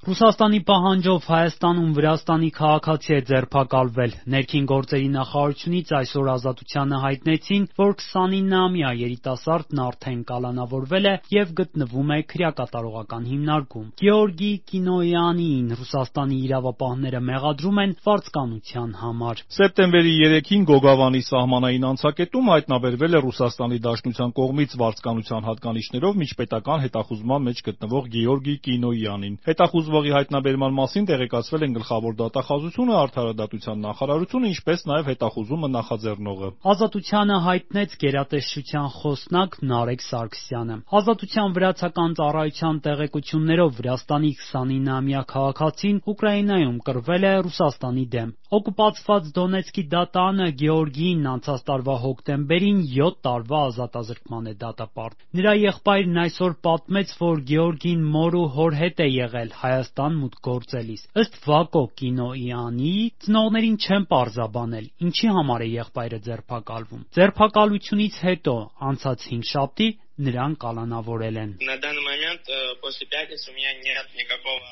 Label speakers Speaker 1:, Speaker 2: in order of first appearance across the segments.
Speaker 1: Ռուսաստանի պահանջով Հայաստանում Վրաստանի քաղաքացի է ձերբակալվել։ Ներքին գործերի նախարարությունից այսօր Ազատությանը հայտնեցին, որ 29-ամյա երիտասարդն արդեն կալանավորվել է եւ գտնվում է քրեակատարողական հիմնարկում։ Գեորգի Կինոյանին Ռուսաստանի իրավապահները մեղադրում են վարձկանության համար։
Speaker 2: Սեպտեմբերի 3-ին Գոգավանի սահմանային անցակետում հայտնաբերվել է Ռուսաստանի Դաշնության կողմից վարձկանության հատկանիշներով միջպետական հետախուզման մեջ գտնվող Գեորգի Կինոյանին։ Հետախուզվողի հայտնաբերման մասին տեղեկացվել են Գլխավոր դատախազությունը, Արդարադատության նախարարությունը, ինչպես նաև հետախուզումը նախաձեռնողը։
Speaker 1: Ազատությանը հայտնեց գերատեսչության խոսնակ Նարեկ Սարգսյանը։ Ազատության վրացական ծառայության տեղեկություններով Վրաստանի 29-ամյա քաղաքացին Ուկրաինայում կռվել է Ռուսաստանի դեմ։ Օկուպացված Դոնեցկի դատանը Գեորգիին անցած տարվա հոկտեմբերին 7 տարվա ազատազրկման է դատապարտել։ Նրա եղբայրն այսօր պատմեց, որ Գեորգին մոր ու հոր հետ է եղել Հայաստան մուտք գործելիս։ Ըստ Վակո Կինոյանի, ծնողներին չեն պարզաբանել, ինչի համար է եղբայրը ձերբակալվում։ Ձերբակալությունից հետո անցած հինգշաբթի նրան կալանավորել են։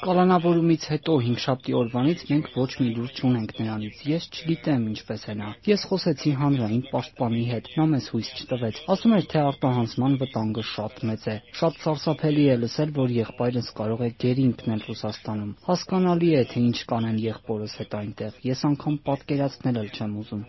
Speaker 3: Կալանավորումից հետո հինգշաբթի օրվանից մենք ոչ մի լուր չունենք նրանից։ Ես չգիտեմ ինչպես է նա։ Ես խոսեցի հանրային պաշտպանի հետ, նա մեզ հույս չտվեց։ Ասում էր, թե արտահանձնման վտանգը շատ մեծ է։ Շատ սարսափելի է լսել, որ եղբայրս կարող է գերի ընկնել Ռուսաստանում։ Հասկանալի է, թե ինչ կանեն եղբորս հետ այնտեղ։ Ես անգամ պատկերացնել էլ չեմ ուզում։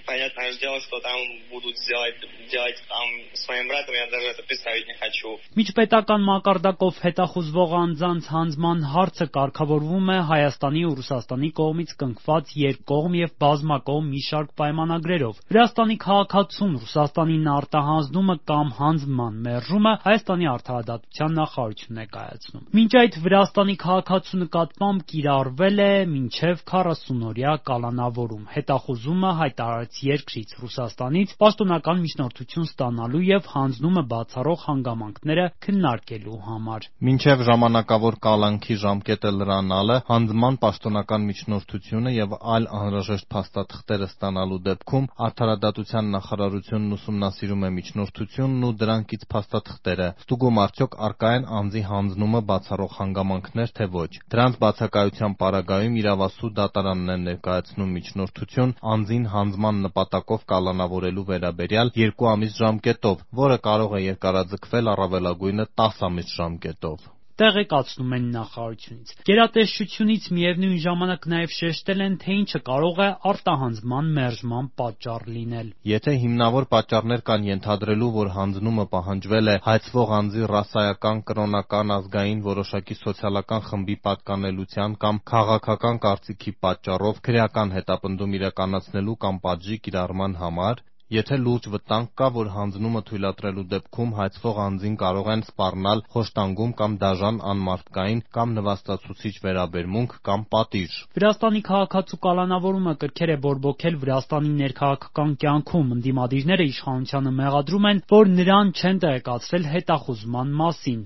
Speaker 4: Понятное дело, что там будут делать там своим братом, я даже это представить не хочу.
Speaker 1: Միջպետական մակարդակով հետախուզվող անձանց հանձնման հարցը կարգավորվում է Հայաստանի ու Ռուսաստանի կողմից կնքված երկկողմ եւ բազմակողմ մի շարք պայմանագրերով։ Վրաստանի քաղաքացուն Ռուսաստանին արտահանձնումը կամ հանձնման մերժումը Հայաստանի Արդարադատության նախարարությունն է կայացնում։ Մինչ այդ Վրաստանի քաղաքացու նկատմամբ կիրառվել է մինչև 40-օրյա կալանավորում։ Հետախուզումը հայտարարեց երկրից Ռուսաստանից պաշտոնական միջնորդություն ստանալու եւ հանձնումը բացառող հանգամանքները քննարկելու համար։
Speaker 5: Մինչև ժամանակավոր կալանքի ժամկետը լրանալը, հանձնման պաշտոնական միջնորդությունը եւ այլ անհրաժեշտ փաստաթղթերը ստանալու դեպքում Արդարադատության նախարարությունն ուսումնասիրում է միջնորդությունն ու դրանքից փաստաթղթերը, ստուգում արդյոք առկա են անձի հանձնումը բացառող հանգամանքներ, թե ոչ։ Դրանց բացակայության պարագայում իրավասու դատարանն է ներկայացնում միջնորդություն անձին հանձնման նպատակով կալանավորելու վերաբերյալ 2 ամիս ժամկետով, որը կարող է երկարաձգվել առավելագույնը 10 ամիս ժամկետով։
Speaker 1: Տեղեկացնում են նախարարությունից։ Գերատեսչությունից միևնույն ժամանակ նաև շեշտել են, թե ինչը կարող է արտահանձնման մերժման պատճառ լինել։
Speaker 5: Եթե հիմնավոր պատճառներ կան ենթադրելու, որ հանձնումը պահանջվել է հայցվող անձի ռասայական, կրոնական, ազգային, որոշակի սոցիալական խմբի պատկանելության կամ քաղաքական կարծիքի պատճառով, քրեական հետապնդում իրականացնելու կամ պատժի կիրառման համար, եթե լուրջ վտանգ կա, որ հանձնումը թույլատրելու դեպքում հայցվող անձին կարող են սպառնալ խոշտանգում կամ դաժան անմարդկային կամ նվաստացուցիչ վերաբերմունք կամ պատիժ։
Speaker 1: Վրաստանի քաղաքացու կալանավորումը կրքեր է բորբոքել Վրաստանի ներքաղաքական կյանքում։ Ընդդիմադիրները իշխանությանը մեղադրում են, որ նրան չեն տեղեկացրել հետախուզման մասին։